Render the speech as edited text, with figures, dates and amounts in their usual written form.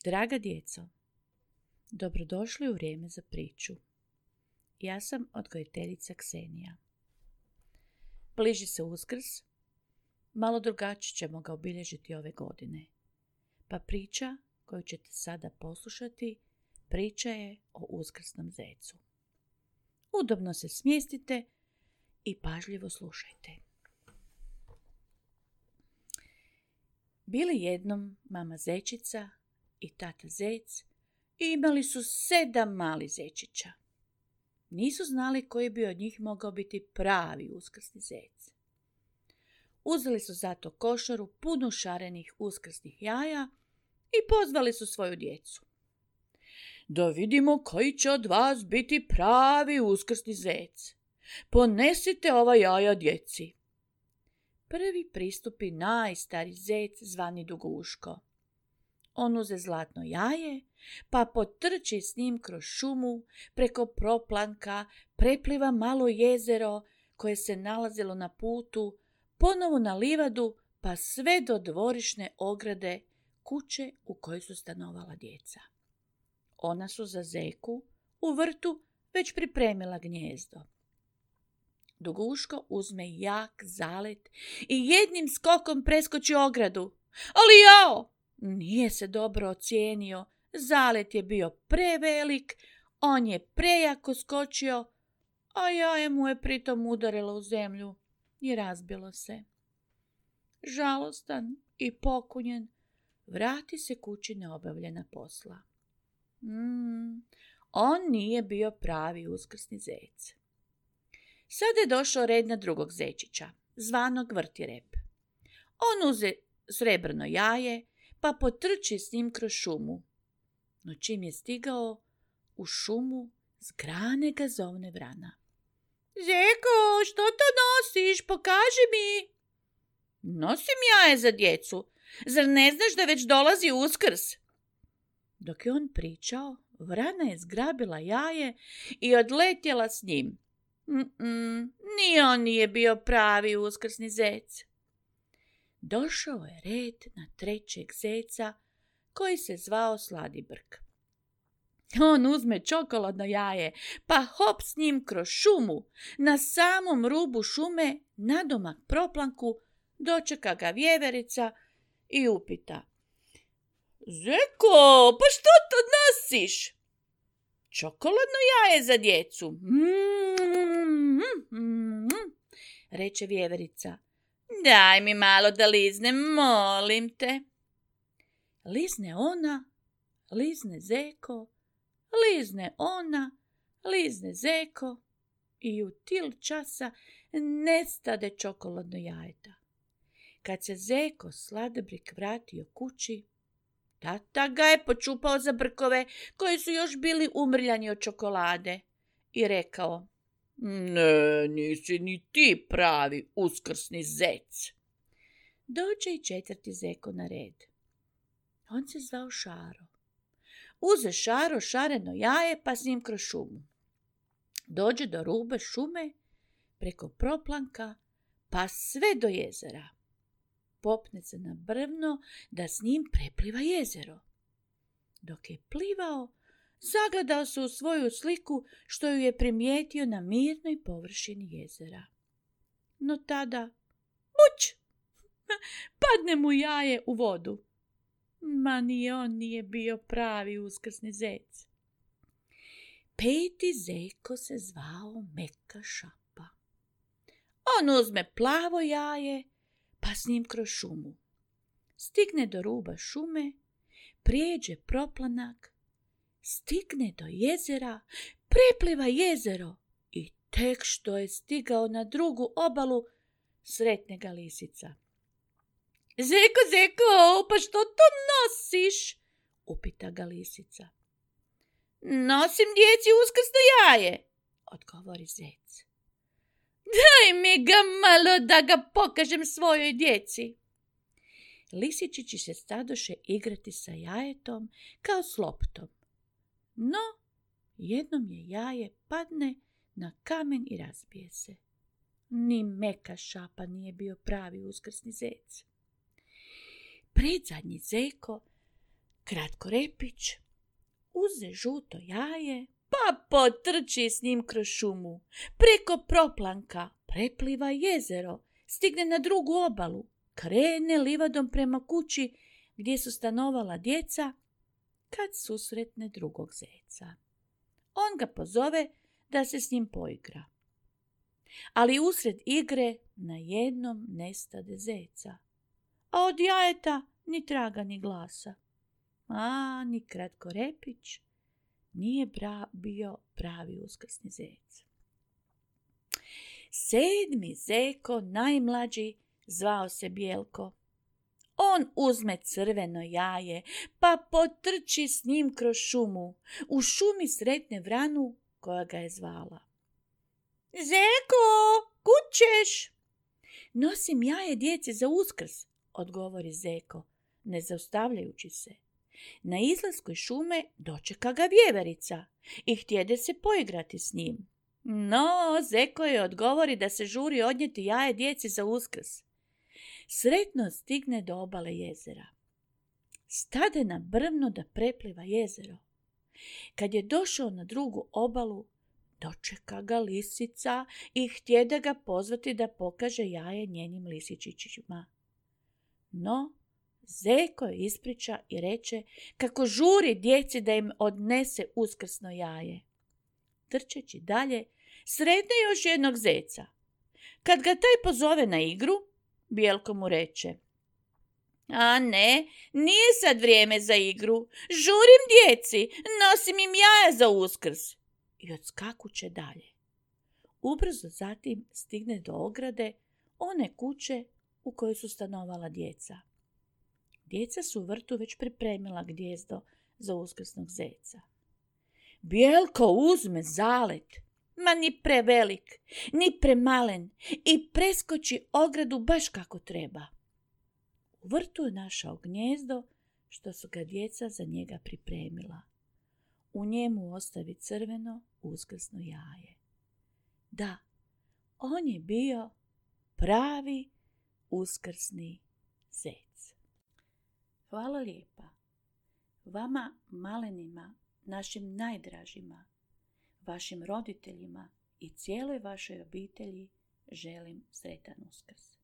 Draga djeco, dobrodošli u vrijeme za priču. Ja sam odgojiteljica Ksenija. Bliži se Uskrs, malo drugačije ćemo ga obilježiti ove godine. Pa priča koju ćete sada poslušati, priča je o uskrsnom zecu. Udobno se smjestite i pažljivo slušajte. Bili jednom mama zečica i tata zec i imali su 7 malih zečića. Nisu znali koji bi od njih mogao biti pravi uskrsni zec. Uzeli su zato košaru punu šarenih uskrsnih jaja i pozvali su svoju djecu. Da vidimo koji će od vas biti pravi uskrsni zec. Ponesite ova jaja djeci. Prvi pristupi najstariji zec zvani Duguško. On uze zlatno jaje, pa potrči s njim kroz šumu, preko proplanka, prepliva malo jezero koje se nalazilo na putu, ponovo na livadu, pa sve do dvorišne ograde kuće u kojoj su stanovala djeca. Ona su za zeku u vrtu već pripremila gnijezdo. Duguško uzme jak zalet i jednim skokom preskoči ogradu. Ali jao! Nije se dobro ocijenio, zalet je bio prevelik, on je prejako skočio, a jaje mu je pritom udarilo u zemlju i razbilo se. Žalostan i pokunjen, vrati se kući neobavljena posla. On nije bio pravi uskrsni zec. Sada je došao red na drugog zečića, zvanog Vrtirep. On uze srebrno jaje, pa potrči s njim kroz šumu. No čim je stigao u šumu, s grane ga zovne vrana. Zeko, što to nosiš? Pokaži mi. Nosim jaje za djecu. Zar ne znaš da već dolazi Uskrs? Dok je on pričao, vrana je zgrabila jaje i odletjela s njim. Ni on nije bio pravi uskrsni zec. Došao je red na trećeg zeca koji se zvao Sladibrk. On uzme čokoladno jaje, pa hop s njim kroz šumu. Na samom rubu šume, nadomak proplanku, dočeka ga vjeverica i upita. Zeko, pa što to nosiš? Čokoladno jaje za djecu. Reče vjeverica. Daj mi malo da liznem, molim te. Lizne ona, lizne zeko, lizne ona, lizne zeko i u til časa nestade čokoladno jajeta. Kad se zeko Sladibrik vratio kući, tata ga je počupao za brkove koji su još bili umrljani od čokolade i rekao. Ne, nisi ni ti pravi uskrsni zec. Dođe i četvrti zeko na red. On se zvao Šaro. Uze Šaro šareno jaje pa s njim kroz šumu. Dođe do ruba šume, preko proplanka, pa sve do jezera. Popne se na brvno da s njim prepliva jezero. Dok je plivao, zagledao se u svoju sliku što ju je primijetio na mirnoj površini jezera. No tada, muć, padne mu jaje u vodu. Ma ni on nije bio pravi uskrsni zec. Peti zeko se zvao Meka šapa. On uzme plavo jaje, pa s njim kroz šumu. Stigne do ruba šume, prijeđe proplanak, stigne do jezera, prepliva jezero i tek što je stigao na drugu obalu, sretne ga lisica. Zeko, zeko, pa što to nosiš? Upita ga lisica. Nosim djeci uskrsno jaje, odgovori zec. Daj mi ga malo da ga pokažem svojoj djeci. Lisičići se stadoše igrati sa jajetom kao s loptom. No, jednom je jaje padne na kamen i razbije se. Ni Meka šapa nije bio pravi uskrsni zec. Predzadnji zeko Kratkorepić uze žuto jaje, pa potrči s njim kroz šumu, preko proplanka, prepliva jezero, stigne na drugu obalu, krene livadom prema kući gdje su stanovala djeca, kad susretne drugog zeca. On ga pozove da se s njim poigra. Ali usred igre najednom nestade zeca, a od jajeta ni traga ni glasa. A ni Kratkorepić nije bio pravi uskrsni zec. 7. zeko, najmlađi, zvao se Bijelko. On uzme crveno jaje, pa potrči s njim kroz šumu. U šumi sretne vranu koja ga je zvala. Zeko, kud ćeš? Nosim jaje djeci za Uskrs, odgovori zeko, ne zaustavljajući se. Na izlasku iz šume dočeka ga vjeverica i htjede se poigrati s njim. No, zeko je odgovori da se žuri odnijeti jaje djeci za Uskrs. Sretno stigne do obale jezera. Stade na brvno da prepliva jezero. Kad je došao na drugu obalu, dočeka ga lisica i htjede ga pozvati da pokaže jaje njenim lisičićima. No, zeko je ispriča i reče kako žuri djeci da im odnese uskrsno jaje. Trčeći dalje, sretne još jednog zeca. Kad ga taj pozove na igru, Bijelko mu reče: A ne, nije sad vrijeme za igru. Žurim djeci, nosim im jaja za Uskrs. I odskakuće dalje. Ubrzo zatim stigne do ograde one kuće u kojoj su stanovala djeca. Djeca su u vrtu već pripremila gnijezdo za uskrsnog zeca. Bijelko uzme zalet, ma ni prevelik, ni premalen, i preskoči ogradu baš kako treba. U vrtu je našao gnijezdo što su ga djeca za njega pripremila. U njemu ostavi crveno uskrsno jaje. Da, on je bio pravi uskrsni zec. Hvala lijepa. Vama malenima, našim najdražima, vašim roditeljima i cijeloj vašoj obitelji želim sretan Uskrs.